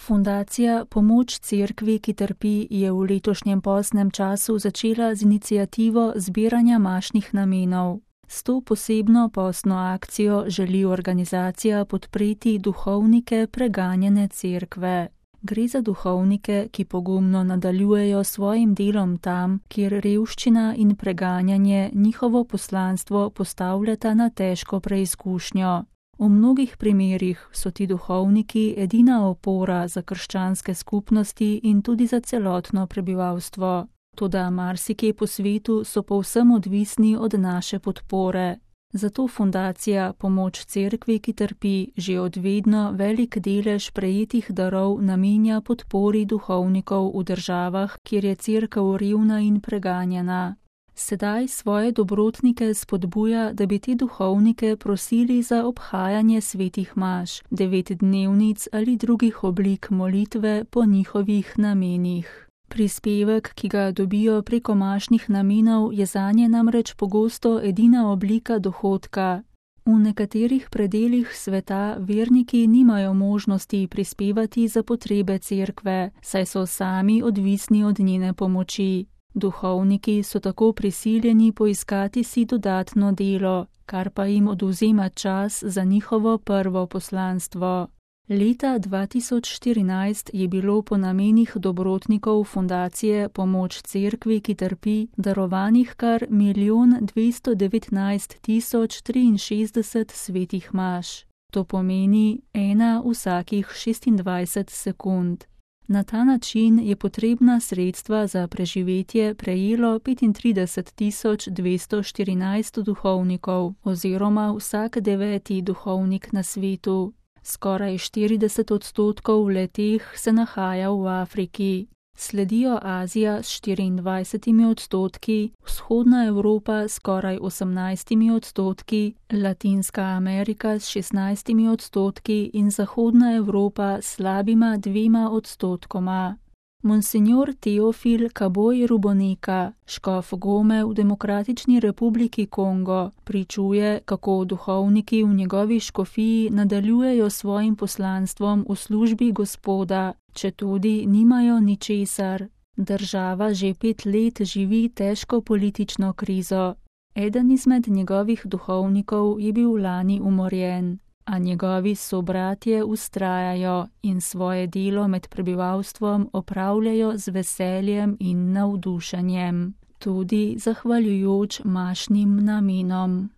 Fundacija Pomoč cerkvi, ki trpi, je v letošnjem postnem času začela z iniciativo zbiranja mašnih namenov. S to posebno postno akcijo želi organizacija podpreti duhovnike preganjene cerkve. Gre za duhovnike, ki pogumno nadaljujejo svojim delom tam, kjer revščina in preganjanje njihovo poslanstvo postavljata na težko preizkušnjo. V mnogih primerih so ti duhovniki edina opora za krščanske skupnosti in tudi za celotno prebivalstvo. Toda marsikje po svetu so povsem odvisni od naše podpore. Zato fundacija Pomoč cerkvi, ki trpi, že od vedno velik delež prejetih darov namenja podpori duhovnikov v državah, kjer je cerkev revna in preganjena. Sedaj svoje dobrotnike spodbuja, da bi te duhovnike prosili za obhajanje svetih maš, 9-dnevnic ali drugih oblik molitve po njihovih namenih. Prispevek, ki ga dobijo preko mašnih namenov, je zanje namreč pogosto edina oblika dohodka. V nekaterih predelih sveta verniki nimajo možnosti prispevati za potrebe cerkve, saj so sami odvisni od njene pomoči. Duhovniki so tako prisiljeni poiskati si dodatno delo, kar pa jim odvzema čas za njihovo prvo poslanstvo. Leta 2014 je bilo po namenih dobrotnikov fundacije Pomoč cerkvi, ki trpi, darovanih kar 1.219.063 svetih maš. To pomeni 1 vsakih 26 sekund. Na ta način je potrebna sredstva za preživetje prejelo 35.214 duhovnikov oziroma vsak 9. duhovnik na svetu. Skoraj 40% le-teh se nahaja v Afriki. Sledijo Azija s 24%, Vzhodna Evropa s skoraj 18%, Latinska Amerika s 16% in Zahodna Evropa s slabima 2%. Monsignor Teofil Kaboj Ruboneka, škof Gome v Demokratični republiki Kongo, pričuje, kako duhovniki v njegovi škofiji nadaljujejo svojim poslanstvom v službi Gospoda, četudi nimajo ničesar. Država že 5 let živi težko politično krizo. Eden izmed njegovih duhovnikov je bil lani umorjen, a njegovi sobratje vztrajajo in svoje delo med prebivalstvom opravljajo z veseljem in navdušenjem, tudi zahvaljujoč mašnim namenom.